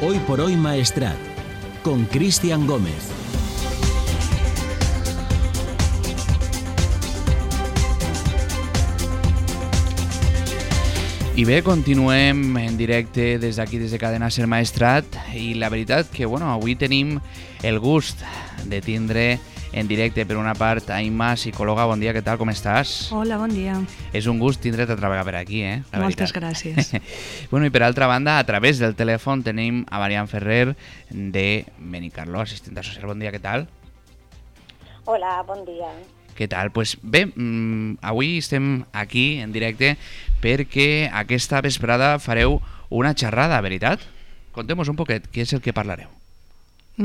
Hoy por Hoy Maestrat, con Cristian Gómez. I bé, continuem en directe des d'aquí, des de Cadena Ser Maestrat, i la veritat que avui tenim el gust de tindre en directe, per una part, Aima, psicòloga. Bon dia, què tal, com estàs? Hola, bon dia. És un gust tindre't a treballar per aquí, Moltes gràcies. I per altra banda, a través del telèfon tenim a Marian Ferrer de Benicarló, assistent social. Bon dia, què tal? Hola, bon dia. Què tal? Pues bé, avui estem aquí en directe perquè aquesta vesprada fareu una xerrada, veritat? Contem-nos un poquet, què és el que parlareu? La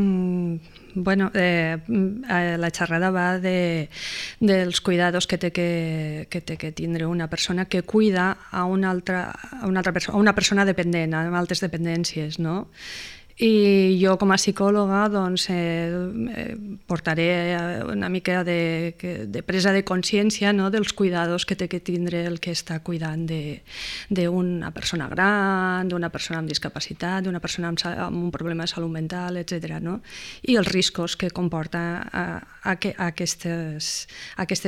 xerrada va dels cuidados que té que tindre una persona que cuida a una persona dependent, amb altres dependències, no? I jo com a psicòloga portaré una mica de presa de consciència, no?, dels cuidados que té que tindre el que està cuidant d'una persona gran, d'una persona amb discapacitat, d'una persona amb un problema de salut mental, etc. No? I els riscos que comporta aquestes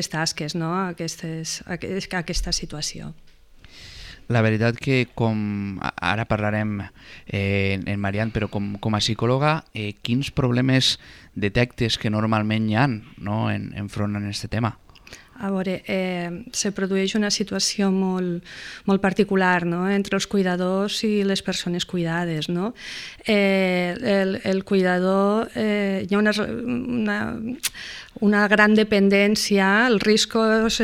tasques, no?, aquesta situació. La veritat que, com ara parlarem en Marian, però com a psicòloga, quins problemes detectes que normalment hi ha, no?, enfront en aquest tema? A veure, se produeix una situació molt particular, no?, entre els cuidadors i les persones cuidades, no? El cuidador, hi ha una gran dependència, el risc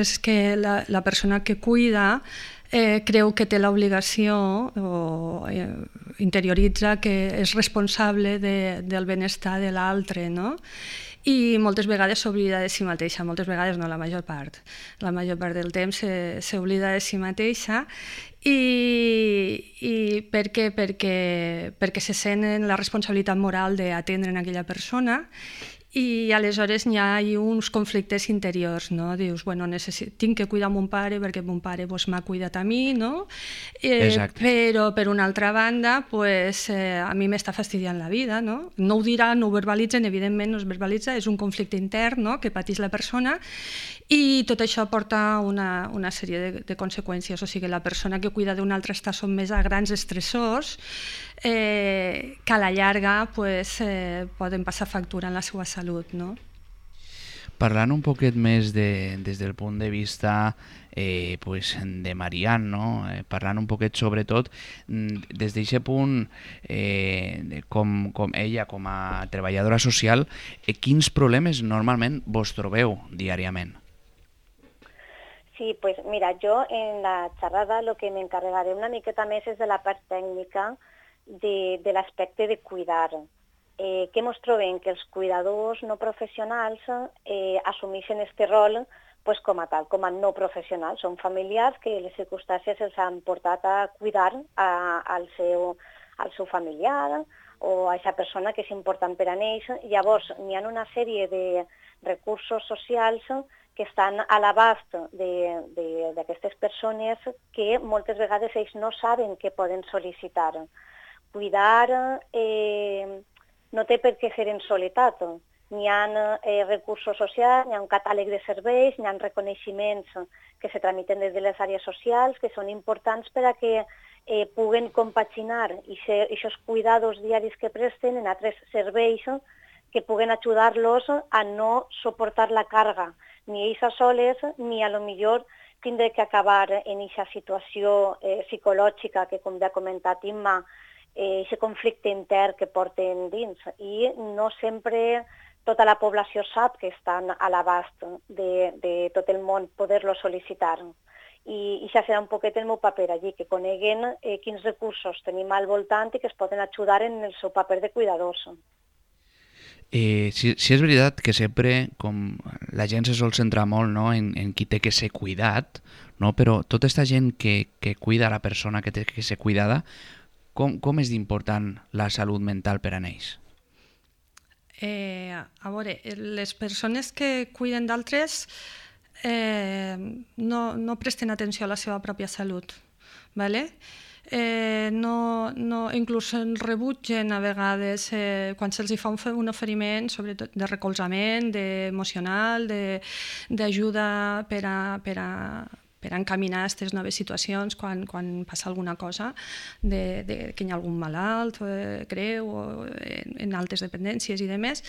és que la persona que cuida creu que té l'obligació o interioritza que és responsable del benestar de l'altre, no? I moltes vegades s'oblida de si mateixa, moltes vegades no, la major part del temps s'oblida de si mateixa. I per què? Perquè se senten la responsabilitat moral d'atendre aquella persona. I aleshores hi ha uns conflictes interiors, no? Dius, tinc que cuidar mon pare perquè mon pare m'ha cuidat a mi, no? Però per una altra banda, a mi m'està fastidiant la vida, no? No ho dirà, no ho verbalitzen, evidentment no es verbalitza, és un conflicte intern, no?, que pateix la persona, i tot això porta una sèrie de conseqüències. O sigui, la persona que cuida d'un altre està sotmesa a grans estressors que a la llarga poden passar factura en la seva salut, no? Parlant un poquet més des del punt de vista de Marian, no? Parlant un poquet sobretot des d'aquest punt, com ella, com a treballadora social, quins problemes normalment vos trobeu diàriament? Sí, pues mira, yo en la xerrada lo que me encargaré una miqueta més és de la part tècnica de l'aspecte de cuidar. Què ens trobem? Que els cuidadors no professionals assumeixen aquest rol com a tal, com a no professionals. Són familiars que les circumstàncies els han portat a cuidar al seu familiar o a aquesta persona que és important per a ells. Llavors, n'hi ha una sèrie de recursos socials que estan a l'abast d'aquestes persones que moltes vegades ells no saben que poden sol·licitar. Cuidar no té per què ser en soledat. N'hi ha recursos socials, n'hi ha un catàleg de serveis, n'hi ha reconeixements que se tramiten des de les àrees socials que són importants per a que puguen compaginar aquests cuidados diaris que presten en altres serveis que puguen ajudar-los a no suportar la càrrega, ni ells a soles, ni a lo millor tindre que acabar en aquesta situació psicològica que, com ja ha comentat Imma, aquest conflicte intern que porten dins. I no sempre tota la població sap que estan a l'abast de tot el món poder-lo sol·licitar. I això serà un poquet el meu paper allí, que coneguen quins recursos tenim al voltant i que es poden ajudar en el seu paper de cuidadors. Sí és veritat que sempre la gent se sol centrar molt, no?, en qui té que ser cuidat, no? Però tota aquesta gent que cuida la persona que té que ser cuidada, com és d'important la salut mental per a ells? A veure, les persones que cuiden d'altres no presten atenció a la seva pròpia salut, ¿vale? inclús rebutgen a vegades quan se'ls fa un oferiment, sobretot de recolzament, emocional, d'ajuda per a encaminar aquestes noves situacions quan passa alguna cosa, que hi ha algun malalt greu o en altes dependències i demés.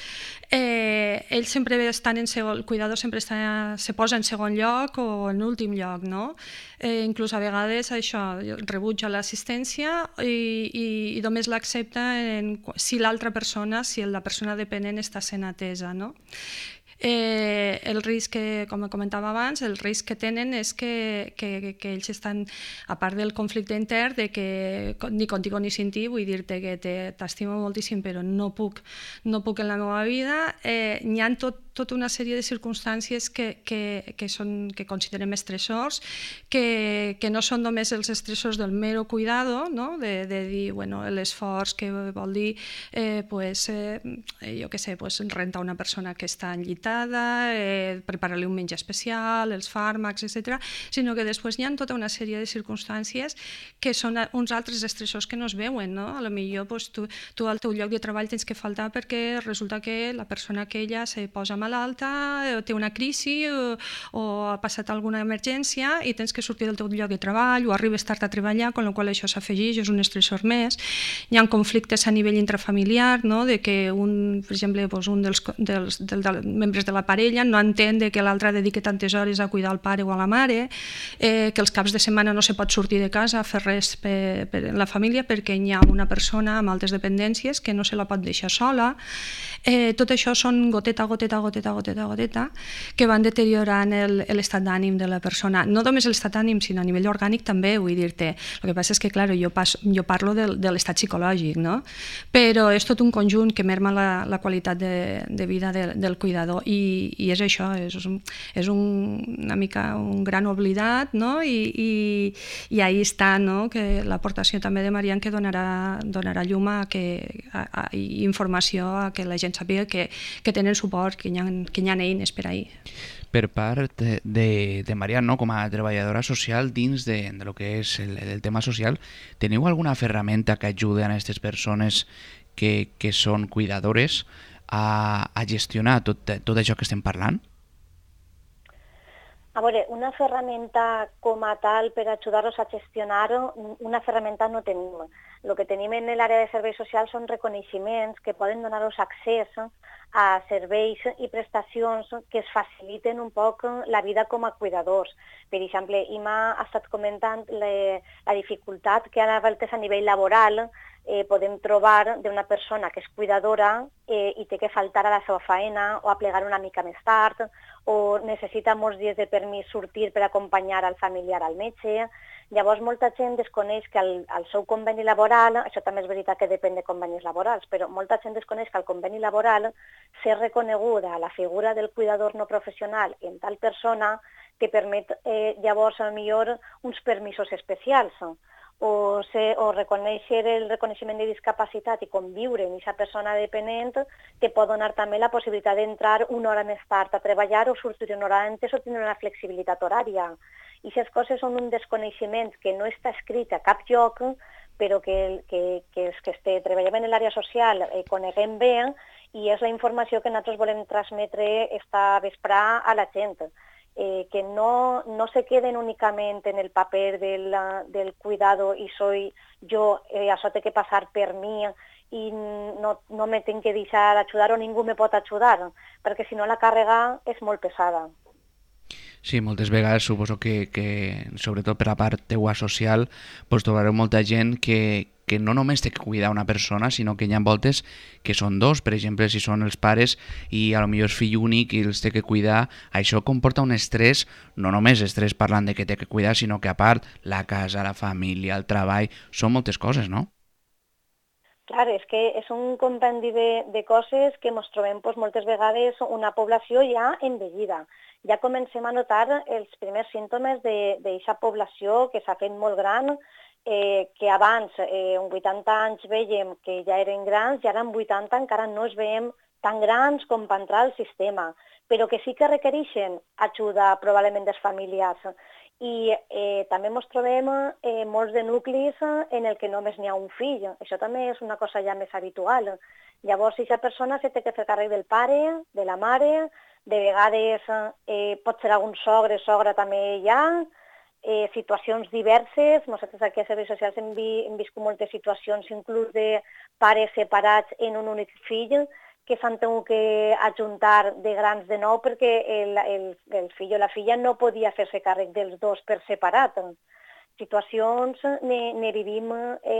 Ells sempre estan el cuidador sempre se posa en segon lloc o en últim lloc, no? Inclús a vegades això rebutja l'assistència i només l'accepta si l'altra persona, si la persona dependent està sent atesa, no? El risc, com comentava abans, el risc que tenen és que ells estan, a part del conflicte intern, de que ni contigo ni sin ti, vull dir-te que t'estimo moltíssim però no puc en la meva vida. N'hi ha tota una sèrie de circumstàncies que considerem estressors, que no són només els estressors del mero cuidado, no? de dir l'esforç que vol dir jo què sé, rentar una persona que està enllitada, preparar-li un menjar especial, els fàrmacs, etc., sinó que després hi ha tota una sèrie de circumstàncies que són uns altres estressors que no es veuen, no? A lo millor tu al teu lloc de treball tens que faltar perquè resulta que la persona aquella se posa malalta, té una crisi o ha passat alguna emergència i tens que sortir del teu lloc de treball o arribes tard a treballar, amb la qual això s'afegeix, és un estressor més. Hi ha conflictes a nivell intrafamiliar, no? De que per exemple, un dels membres de la parella no entén que l'altre dediqui tantes hores a cuidar el pare o a la mare, que els caps de setmana no se pot sortir de casa a fer res per la família perquè hi ha una persona amb altes dependències que no se la pot deixar sola. Tot això són goteta que van deteriorant l'estat d'ànim de la persona. No només l'estat d'ànim, sinó a nivell orgànic també, vull dir-te. El que passa és que, clar, jo parlo de l'estat psicològic, no? Però és tot un conjunt que merma la qualitat de vida del cuidador i és això, és una mica un gran oblidat, no? I ahí està, no? Que l'aportació també de Marian que donarà llum i informació a que la gent sàpiga que tenen suport, que hi ha eines per ahir. Per part de Marian, no? Com a treballadora social dins de lo que és el tema social, teniu alguna ferramenta que ajudi a aquestes persones que són cuidadores a gestionar tot això que estem parlant? A veure, una ferramenta com a tal per ajudar-los a gestionar-ho, una ferramenta no tenim. El que tenim en l'àrea de serveis socials són reconeixements que poden donar-los accés a serveis i prestacions que es faciliten un poc la vida com a cuidadors. Per exemple, Ima ha estat comentant la dificultat que a vegades a nivell laboral podem trobar d'una persona que és cuidadora i té que faltar a la seva feina o a plegar una mica més tard o necessita molts dies de permís sortir per acompanyar al familiar al metge. Llavors, molta gent desconeix que el seu conveni laboral, això també és veritat que depèn de convenis laborals, però molta gent desconeix que el conveni laboral ser reconeguda la figura del cuidador no professional en tal persona que permet llavors, millor, uns permisos especials o reconèixer el reconeixement de discapacitat i conviure amb aquesta persona dependent que pot donar també la possibilitat d'entrar una hora més tard a treballar o sortir una hora antes o tenir una flexibilitat horària. I aquestes coses són un desconeixement que no està escrit a cap lloc, però que els que treballem en l'àrea social coneguem bé i és la informació que nosaltres volem transmetre esta vesprà a la gent. Que no se queden únicament en el paper del cuidado i soy jo, això té que passar per mi i no me tinc que deixar ajudar o ningú me pot ajudar, perquè si no la càrrega és molt pesada. Sí, moltes vegades suposo que sobretot per la part teua social, trobareu molta gent que no només té que cuidar una persona, sinó que hi ha voltes que són dos. Per exemple, si són els pares i potser és fill únic i els té que cuidar, això comporta un estrès, no només estrès parlant de que té que cuidar, sinó que a part la casa, la família, el treball, són moltes coses, no? Clar, és que és un compendi de coses que ens trobem moltes vegades una població ja envellida. Ja comencem a notar els primers símptomes d'aquesta població que s'ha fet molt gran, que abans, amb 80 anys, veiem que ja eren grans i ara amb 80 encara no es veiem tan grans com per entrar al sistema, però que sí que requereixen ajuda probablement dels familiars I també ens trobem molts de nuclis en el que només n'hi ha un fill. Això també és una cosa ja més habitual. Llavors, aquesta persona s'ha de fer càrrec del pare, de la mare, de vegades pot ser algun sogre, sogra també hi ha, situacions diverses. Nosaltres aquí a Serveis Socials hem viscut moltes situacions, inclús de pares separats en un únic fill, que s'han hagut que ajuntar de grans de nou perquè el fill o la filla no podia fer-se càrrec dels dos per separat. Situacions ne vivim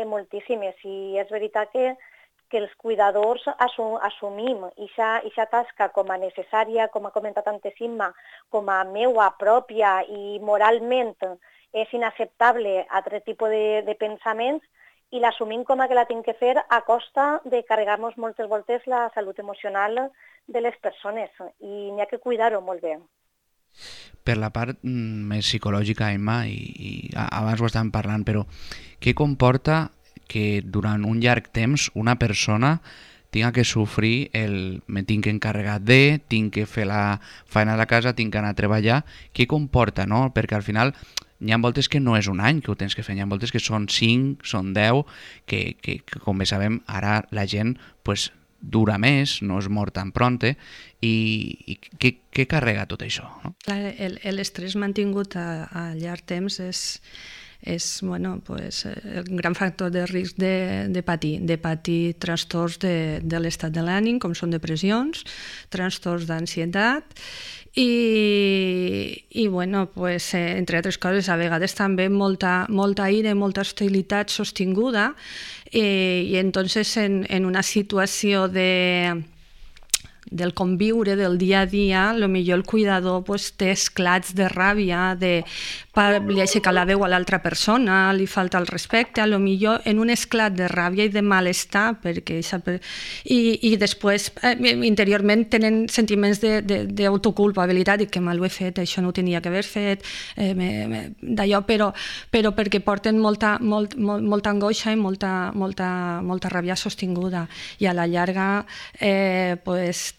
moltíssimes i és veritat que els cuidadors assumim aquesta tasca com a necessària, com ha comentat antes Imma, com a meua pròpia i moralment és inacceptable altre tipus de pensaments, i l'assumim com a que la tinc que fer a costa de carregar-nos moltes voltes la salut emocional de les persones, i n'hi ha que cuidar-ho molt bé. Per la part més psicològica, Emma, i abans ho estàvem parlant, però què comporta que durant un llarg temps una persona tinga que sofrir me tinc que encarregar tinc que fer la feina de la casa, tinc que anar a treballar? Què comporta, no? Perquè al final n'hi ha voltes que no és un any que ho tens que fer, n'hi ha voltes que són 5, són 10, que com bé sabem, ara la gent pues, dura més, no es mor tan pronte, i què carrega tot això? No? L'estrès mantingut a llarg temps és bueno, pues, el gran factor de risc de patir trastorns de l'estat de l'ànim, com són depressions, trastorns d'ansietat, i bueno, pues, entre altres coses, a vegades també molta ira, molta hostilitat sostinguda, i entonces en una situació del conviure, del dia a dia, potser el cuidador pues, té esclats de ràbia, li aixeca la veu a l'altra persona, li falta el respecte, potser en un esclat de ràbia i de malestar, i després interiorment tenen sentiments d'autoculpabilitat, i que mal ho he fet, això no ho tenia que haver fet, d'allò, però perquè porten molta angoixa i molta ràbia sostinguda, i a la llarga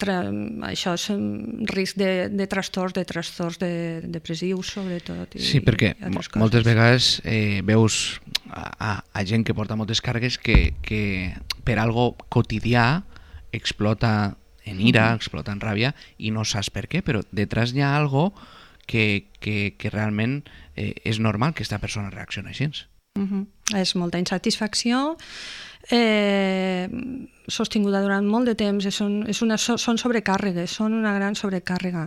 això és un risc de trastorns depressius, sobretot. Sí, perquè moltes vegades veus a gent que porta moltes càrregues que per algo quotidià explota en ira, explota en ràbia, i no saps per què, però detrás hi ha algo que realment és normal que aquesta persona reaccioni així. És molta insatisfacció, sostinguda durant molt de temps, són sobrecàrregues, són una gran sobrecàrrega.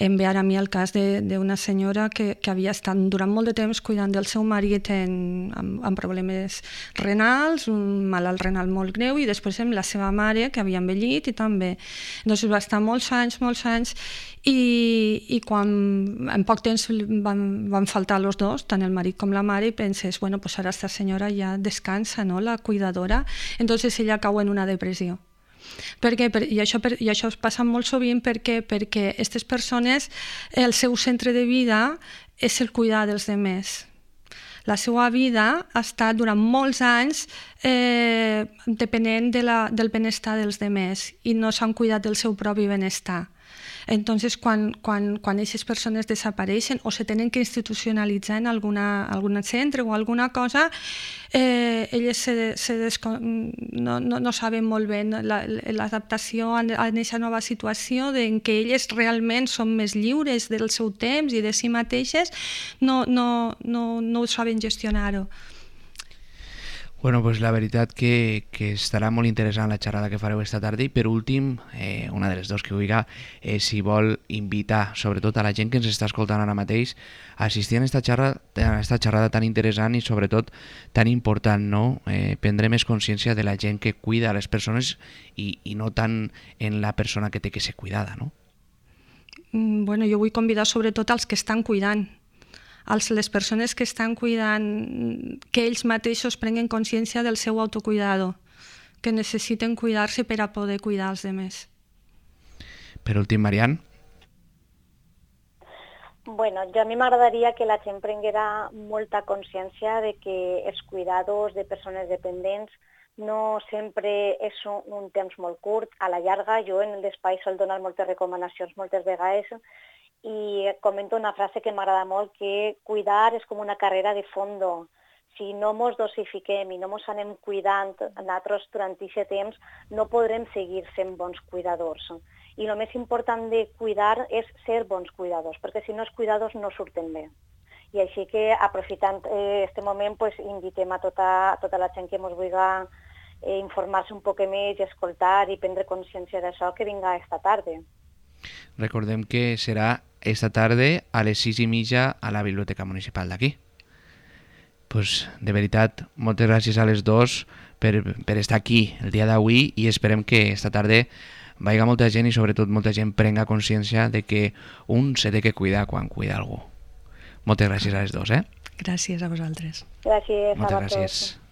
Em ve ara a mi el cas d'una senyora que havia estat durant molt de temps cuidant del seu marit amb problemes renals, un malalt renal molt greu, i després amb la seva mare, que havia envellit, i també. Doncs va estar molts anys, i quan en poc temps van faltar els dos, tant el marit com la mare, i penses, bueno, pues ara esta senyora ja descansa, no?, la cuidadora, entonces ella cau en una depressió. I això passa molt sovint perquè aquestes persones, el seu centre de vida és el cuidar dels altres. La seva vida ha estat durant molts anys depenent del benestar dels altres i no s'han cuidat del seu propi benestar. Entonces, quan aquestes persones desapareixen o se tenen que institucionalitzar en algun centre o alguna cosa, elles no saben molt bé l'adaptació a aquesta nova situació en què elles realment són més lliures del seu temps i de si mateixes, no ho saben gestionar-ho. Bueno, pues la veritat que estarà molt interessant la xerrada que fareu esta tarda, i per últim, una de les dos que vulgui, si vol invitar sobretot a la gent que ens està escoltant ara mateix a assistir a esta xerrada tan interessant i sobretot tan important, no? Prendre més consciència de la gent que cuida a les persones i no tant en la persona que té que ser cuidada, no? Bueno, jo vull convidar sobretot als que estan cuidant, les persones que estan cuidant, que ells mateixos prenguen consciència del seu autocuidado, que necessiten cuidar-se per a poder cuidar els altres. Per últim, Marian. Bueno, a mi m'agradaria que la gent prenguera molta consciència de que els cuidados de persones dependents no sempre és un temps molt curt. A la llarga, jo en el despatx sol donar moltes recomanacions moltes vegades, i comento una frase que m'agrada molt, que cuidar és com una carrera de fondo. Si no ens dosifiquem i no ens anem cuidant nosaltres durant aquest temps, no podrem seguir sent bons cuidadors. I el més important de cuidar és ser bons cuidadors, perquè si no els cuidadors no surten bé. I així que, aprofitant aquest moment, invitem a tota la gent que ens vulgui informar-se un poc més, escoltar i prendre consciència d'això, que vinga esta tarda. Recordem que serà esta tarda a les 6:30 a la Biblioteca Municipal d'aquí. Pues, de veritat, moltes gràcies a les dos per estar aquí el dia d'avui i esperem que esta tarda vaiga molta gent i sobretot molta gent prenga consciència de que un se té que cuidar quan cuida algú. Moltes gràcies a les dos, Gràcies a vosaltres. Gràcies a moltes vosaltres. gràcies.